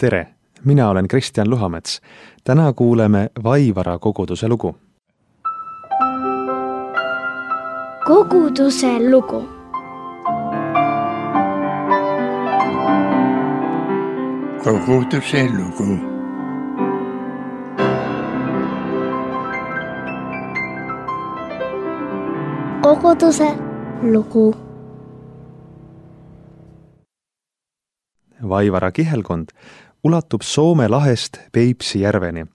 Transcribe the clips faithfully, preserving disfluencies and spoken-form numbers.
Tere! Mina olen Kristjan Luhamets. Täna kuuleme Vaivara koguduse lugu. Koguduse lugu. Koguduse lugu. Koguduse lugu. Vaivara kihelkond ulatub Soome lahest Peipsi järveni.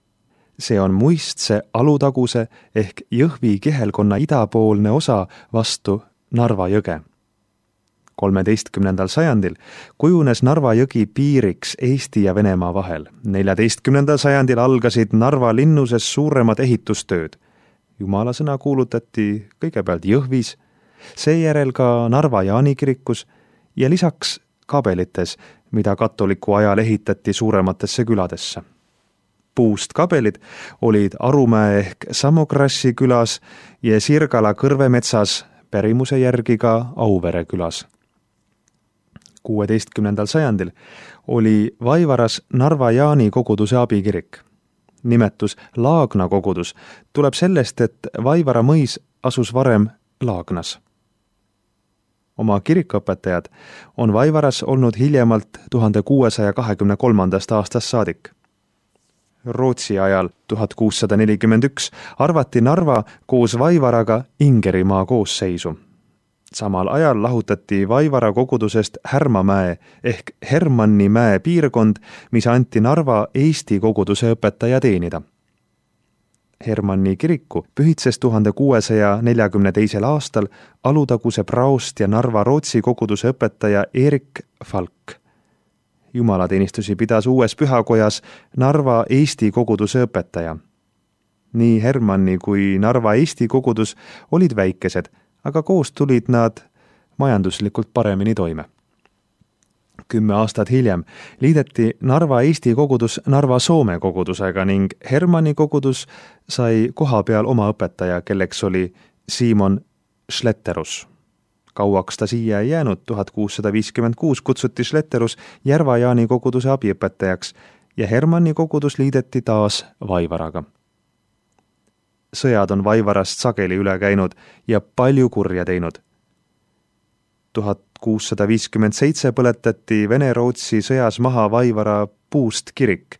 See on Muistse alutaguse ehk Jõhvi kihelkonna idapoolne osa vastu Narva jõge. kolmeteistkümnendal sajandil kujunes Narva jõgi piiriks Eesti ja Venemaa vahel. neljateistkümnendal sajandil algasid Narva linnuses suuremad ehitustööd. Jumala sõna kuulutati kõigepealt Jõhvis, seejärel ka Narva Jaani kirikus ja lisaks kabelites, mida katoliku ajal ehitati suurematesse küladesse. Puust kabelid olid Arumäe ehk Samokrassi külas ja Sirgala kõrvemetsas, pärimuse järgi ka Auvere külas. kuueteistkümnendal sajandil oli Vaivaras Narva Jaani koguduse abikirik. Nimetus Laagna kogudus tuleb sellest, et Vaivara mõis asus varem Laagnas. Oma kirikuõpetajad on Vaivaras olnud hiljemalt tuhande kuuesaja kahekümne kolmandast aastast saadik. Rootsi ajal tuhat kuussada nelikümmend üks arvati Narva koos Vaivaraga Ingerimaa koosseisu. Samal ajal lahutati Vaivara kogudusest Härmamäe ehk Hermannimäe piirkond, mis anti Narva Eesti koguduse õpetaja teenida. Hermanni kiriku pühitses tuhande kuuesaja neljakümne teisel aastal Alutaguse praost ja Narva Rootsi koguduse õpetaja Erik Falk. Jumalateenistusi pidas uues pühakojas Narva Eesti koguduse õpetaja. Nii Hermanni kui Narva Eesti kogudus olid väikesed, aga koos tulid nad majanduslikult paremini toime. Kümme aastat hiljem liideti Narva Eesti kogudus Narva Soome kogudusega ning Hermanni kogudus sai koha peal oma õpetaja, kelleks oli Simon Schletterus. Kauaks ta siia ei jäänud, tuhat kuussada viiskümmend kuus kutsuti Schletterus Järva Jaani koguduse abiõpetajaks ja Hermanni kogudus liideti taas Vaivaraga. Sõjad on Vaivarast sageli üle käinud ja palju kurja teinud. tuhat kuussada viiskümmend seitse põletati Vene-Rootsi sõjas maha Vaivara puust kirik,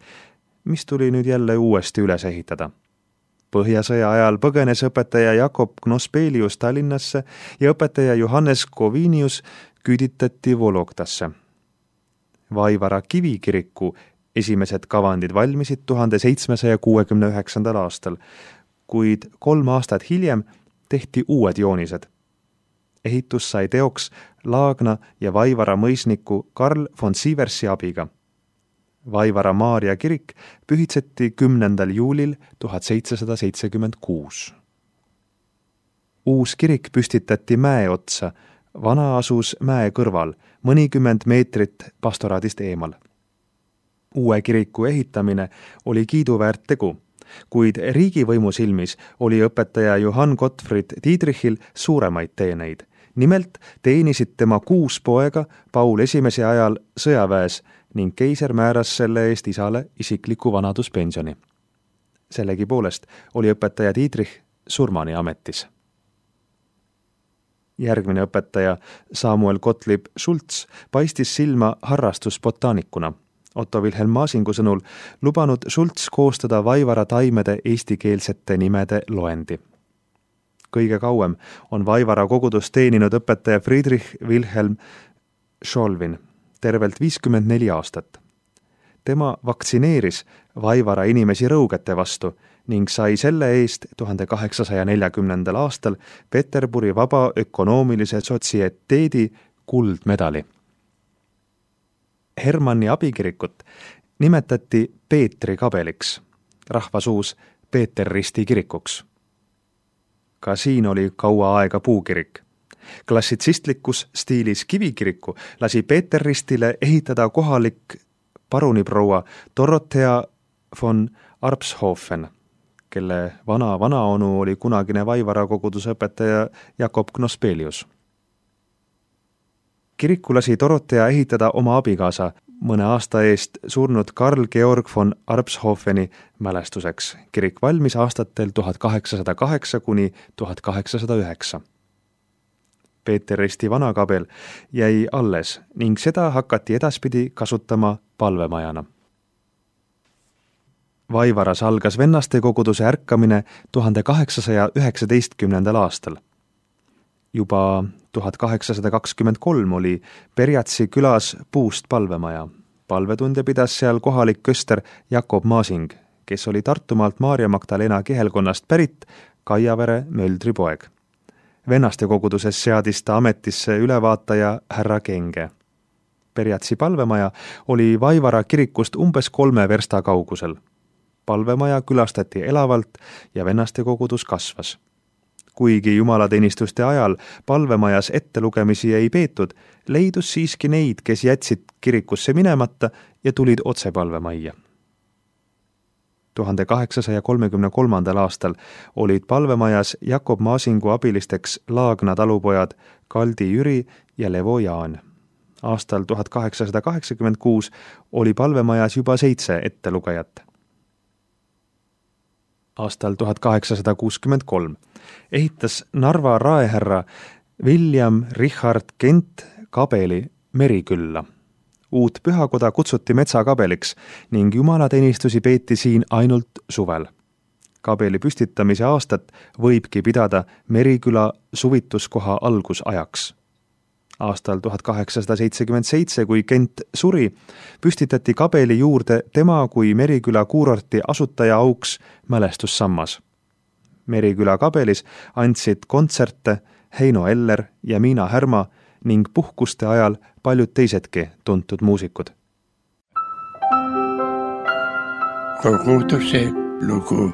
mis tuli nüüd jälle uuesti üles ehitada. Põhjasõja ajal põgenes õpetaja Jakob Knospelius Tallinnasse ja õpetaja Johannes Kovinius küüditati Vologdasse. Vaivara kivikiriku esimesed kavandid valmisid tuhande seitsmesaja kuuekümne üheksandal aastal, kuid kolm aastat hiljem tehti uued joonised. Ehitus sai teoks Laagna ja Vaivara mõisniku Karl von Sieversi abiga. Vaivara Maarja kirik pühitseti kümnendal juulil tuhat seitsesada seitsekümmend kuus. Uus kirik püstitati mäe otsa, vana asus mäe kõrval, mõnikümmend meetrit pastoraadist eemal. Uue kiriku ehitamine oli kiiduväärt tegu, kuid riigivõimu silmis oli õpetaja Johann Gottfried Dietrichil suuremaid teeneid. Nimelt teenisid tema kuus poega Paul esimese ajal sõjaväes ning keiser määras selle eest isale isikliku vanaduspensioni. Sellegi poolest oli õpetaja Dietrich surmani ametis. Järgmine õpetaja Samuel Gottlieb Schultz paistis silma harrastusbotaanikuna. Otto Wilhelm Maasingu sõnul lubanud Schultz koostada Vaivara taimede eestikeelsete nimede loendi. Kõige kauem on Vaivara kogudus teeninud õpetaja Friedrich Wilhelm Scholvin, tervelt viiskümmend neli aastat. Tema vaktsineeris Vaivara inimesi rõugete vastu ning sai selle eest tuhande kaheksasaja neljakümnendal aastal Peterburi Vaba Ökonoomilise Sotsieteedi kuldmedali. Hermanni abikirikut nimetati Peetri kabeliks, rahvasuus Peeter Risti kirikuks. Ka siin oli kaua aega puukirik. Klassitsistlikus stiilis kivikiriku lasi Peeter Ristile ehitada kohalik paruniproua Dorothea von Arpshofen, kelle vana vanaonu oli kunagine Vaivara koguduse õpetaja Jakob Knospelius. Kiriku lasi Dorothea ehitada oma abikaasa mõne aasta eest surnud Karl Georg von Arpshofeni mälestuseks. Kirik valmis aastatel tuhat kaheksasada kaheksa kuni tuhat kaheksasada üheksa. Peeter Risti vanakabel jäi alles ning seda hakati edaspidi kasutama palvemajana. Vaivaras algas vennaste koguduse ärkamine tuhande kaheksasaja üheksateistkümnendal aastal. Juba tuhat kaheksasada kakskümmend kolm oli Perjatsi külas puust palvemaja. Palvetunde pidas seal kohalik köster Jakob Maasing, kes oli Tartumaalt Maarja Magdalena kihelkonnast pärit Kaiavere Möldri poeg. Vennaste koguduses seadis ta ametisse ülevaataja härra Kenge. Perjatsi palvemaja oli Vaivara kirikust umbes kolme versta kaugusel. Palvemaja külastati elavalt ja vennaste kogudus kasvas. Kuigi jumalateenistuste ajal palvemajas ettelugemisi ei peetud, leidus siiski neid, kes jätsid kirikusse minemata ja tulid otse palvemajja. tuhande kaheksasaja kolmekümne kolmandal aastal olid palvemajas Jakob Maasingu abilisteks Laagna talupojad Kaldi Jüri ja Levo Jaan. Aastal tuhat kaheksasada kaheksakümmend kuus oli palvemajas juba seitse ettelugejat. Aastal tuhat kaheksasada kuuskümmend kolm ehitas Narva raehärra William Richard Kent kabeli Merikülla. Uut pühakoda kutsuti metsakabeliks ning jumalateenistusi peeti siin ainult suvel. Kabeli püstitamise aastat võibki pidada Meriküla suvituskoha algusajaks. Aastal tuhat kaheksasada seitsekümmend seitse, kui Kent suri, püstitati kabeli juurde tema kui Meriküla kuurorti asutaja auks mälestussammas. Meriküla kabelis andsid kontserte Heino Eller ja Miina Härma ning puhkuste ajal paljud teisedki tuntud muusikud. Koguduse lugu.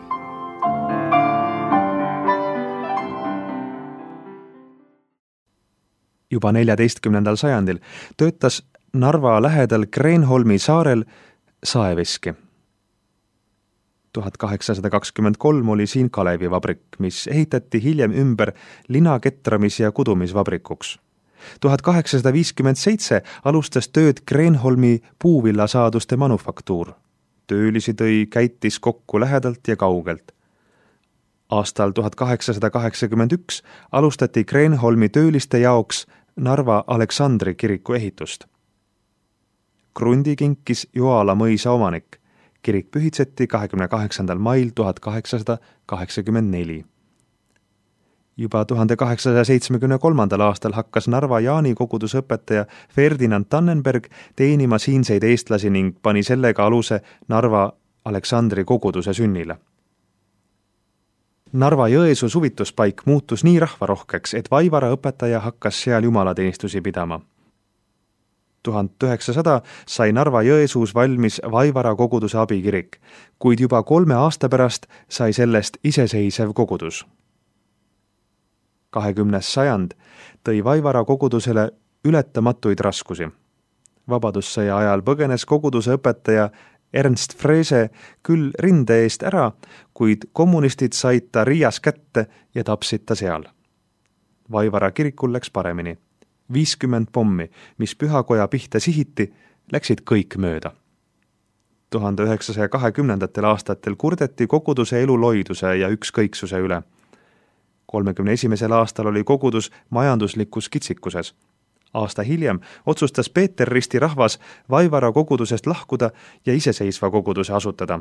Juba neljateistkümnendal sajandil töötas Narva lähedal Kreenholmi saarel saeveski. tuhat kaheksasada kakskümmend kolm oli siin Kalevivabrik, mis ehitati hiljem ümber linaketramis- ja kudumisvabrikuks. tuhat kaheksasada viiskümmend seitse alustas tööd Kreenholmi puuvillasaaduste manufaktuur. Töölisi tõi käitis kokku lähedalt ja kaugelt. Aastal tuhat kaheksasada kaheksakümmend üks alustati Kreenholmi tööliste jaoks Narva Aleksandri kiriku ehitust. Krundi kinkis Joala mõisa omanik. Kirik pühitseti kahekümne kaheksandal mail tuhat kaheksasada kaheksakümmend neli. Juba tuhande kaheksasaja seitsmekümne kolmandal aastal hakkas Narva Jaani koguduse õpetaja Ferdinand Tannenberg teenima siinseid eestlasi ning pani sellega aluse Narva Aleksandri koguduse sünnile. Narva Jõesuu suvituspaik muutus nii rahvarohkeks, et Vaivara õpetaja hakkas seal jumalateenistusi pidama. tuhat üheksasada sai Narva Jõesuus valmis Vaivara koguduse abikirik, kuid juba kolme aasta pärast sai sellest iseseisev kogudus. kahekümnes sajand tõi Vaivara kogudusele ületamatuid raskusi. Vabadussõja ajal põgenes koguduse õpetaja Ernst Frese küll rinde eest ära, kuid kommunistid said ta Riias kätte ja tapsid ta seal. Vaivara kirikul läks paremini. viiskümmend pommi, mis pühakoja pihta sihiti, läksid kõik mööda. tuhande üheksasaja kahekümnendatel aastatel kurdeti koguduse eluloiduse ja ükskõiksuse üle. kolmekümne esimesel aastal oli kogudus majanduslikus kitsikuses. Aasta hiljem otsustas Peeter Risti rahvas Vaivara kogudusest lahkuda ja iseseisva koguduse asutada.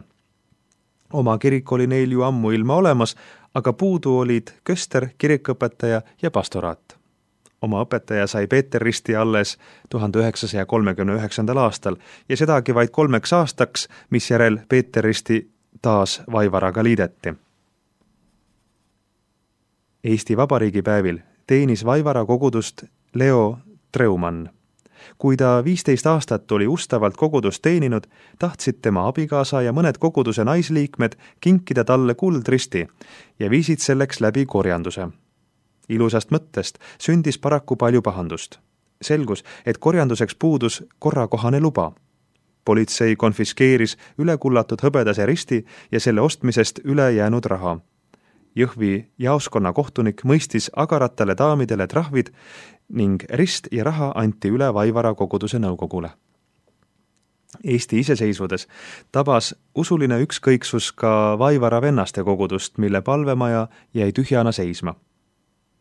Oma kirik oli neil ju ammu ilma olemas, aga puudu olid köster, kirikõpetaja ja pastoraat. Oma õpetaja sai Peeter Risti alles tuhande üheksasaja kolmekümne üheksandal aastal ja sedagi vaid kolmeks aastaks, mis järel Peeter Risti taas Vaivaraga liideti. Eesti Vabariigi päevil teenis Vaivara kogudust Leo Treumann. Kui ta viisteist aastat oli ustavalt kogudust teeninud, tahtsid tema abikaasa ja mõned koguduse naisliikmed kinkida talle kuldristi ja viisid selleks läbi korjanduse. Ilusast mõttest sündis paraku palju pahandust. Selgus, et korjanduseks puudus korrakohane luba. Politsei konfiskeeris ülekullatud hõbedase risti ja selle ostmisest üle jäänud raha. Jõhvi jaoskonna kohtunik mõistis agaratale daamidele trahvid ning rist ja raha anti üle Vaivara koguduse nõukogule. Eesti iseseisvudes tabas usuline ükskõiksus ka Vaivara vennaste kogudust, mille palvemaja jäi tühjana seisma.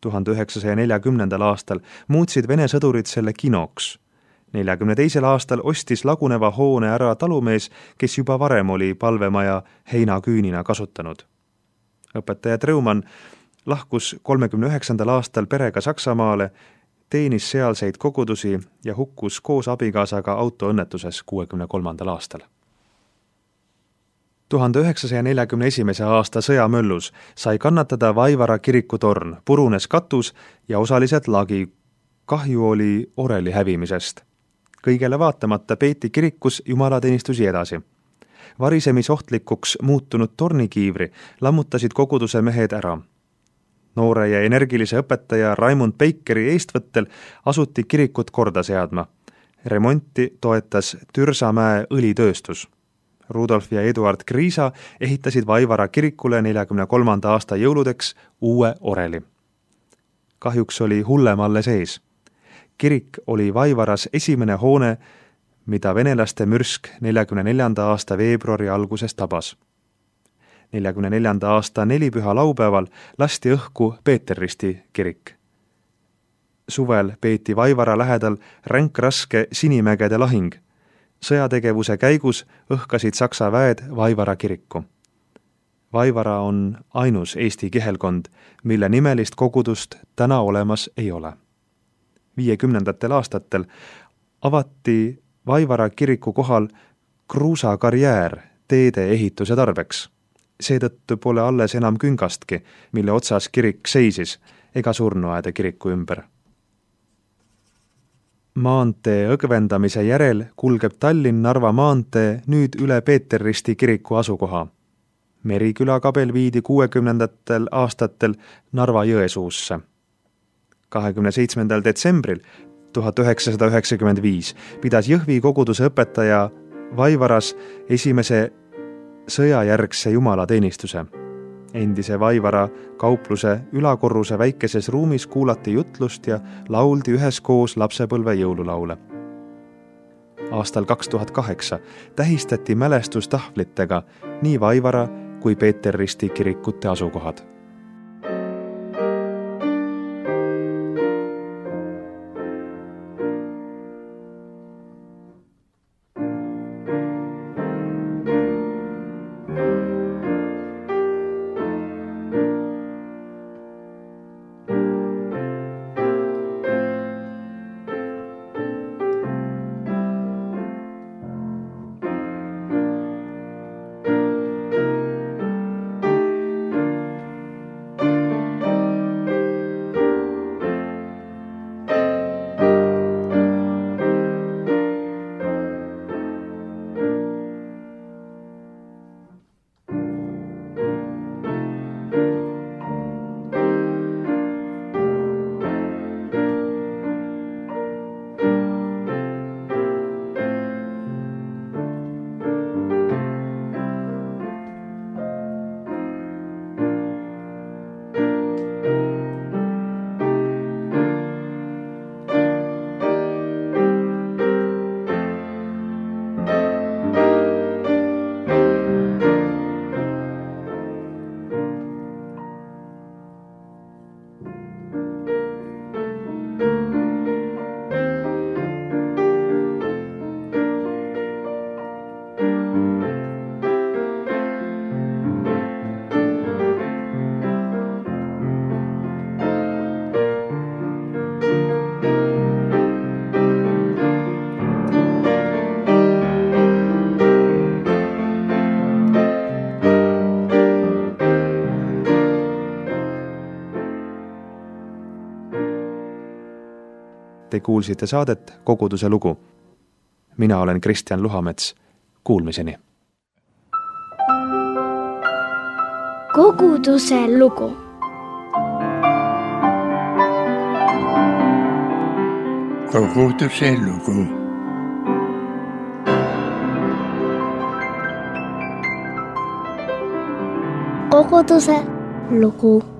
tuhande üheksasaja neljakümnendal aastal muutsid Vene sõdurid selle kinoks. neljakümne teisel aastal ostis laguneva hoone ära talumees, kes juba varem oli palvemaja heinaküünina kasutanud. Õpetaja Treumann lahkus kolmekümne üheksandal aastal perega Saksamaale, teenis sealseid kogudusi ja hukkus koos abikaasaga autoõnnetuses kuuekümne kolmandal aastal. tuhande üheksasaja neljakümne esimese aasta sõjamöllus sai kannatada Vaivara kirikutorn, purunes katus ja osaliselt lagi. Kahju oli oreli hävimisest. Kõigele vaatamata peeti kirikus jumalateenistusi edasi. Varisemisohtlikuks muutunud tornikiivri lammutasid koguduse mehed ära. Noore ja energilise õpetaja Raimund Peikeri eestvõttel asuti kirikut korda seadma. Remonti toetas Türsamäe õlitööstus. Rudolf ja Eduard Kriisa ehitasid Vaivara kirikule neljakümne kolmanda aasta jõuludeks uue oreli. Kahjuks oli hullem alles ees. Kirik oli Vaivaras esimene hoone, mida venelaste mürsk neljakümne neljanda aasta veebruari alguses tabas. neljakümne neljanda aasta nelipüha laupäeval lasti õhku Peeterristi kirik. Suvel peeti Vaivara lähedal ränkraske Sinimägede lahing. Sõjategevuse käigus õhkasid Saksa väed Vaivara kiriku. Vaivara on ainus Eesti kihelkond, mille nimelist kogudust täna olemas ei ole. viiekümnendatel aastatel avati Vaivara kiriku kohal kruusakarjäär teede ehituse tarbeks. Seetõttu pole alles enam küngastki, mille otsas kirik seisis, ega surnuaeda kiriku ümber. Maantee õgvendamise järel kulgeb Tallinn-Narva maantee nüüd üle Peeterristi kiriku asukoha. Meriküla kabel viidi kuuekümnendatel aastatel Narva Jõesuusse. kahekümne seitsmendal detsembril tuhat üheksasada üheksakümmend viis pidas Jõhvi koguduse õpetaja Vaivaras esimese sõjajärgse jumalateenistuse. Endise Vaivara kaupluse ülakorruse väikeses ruumis kuulati jutlust ja lauldi üheskoos lapsepõlve jõululaule. Aastal kaks tuhat kaheksa tähistati mälestustahvlitega nii Vaivara kui Peeterristi kirikute asukohad. Te kuulsite saadet Koguduse lugu. Mina olen Kristjan Luhamets. Kuulmiseni. Koguduse lugu. Koguduse lugu. Koguduse lugu.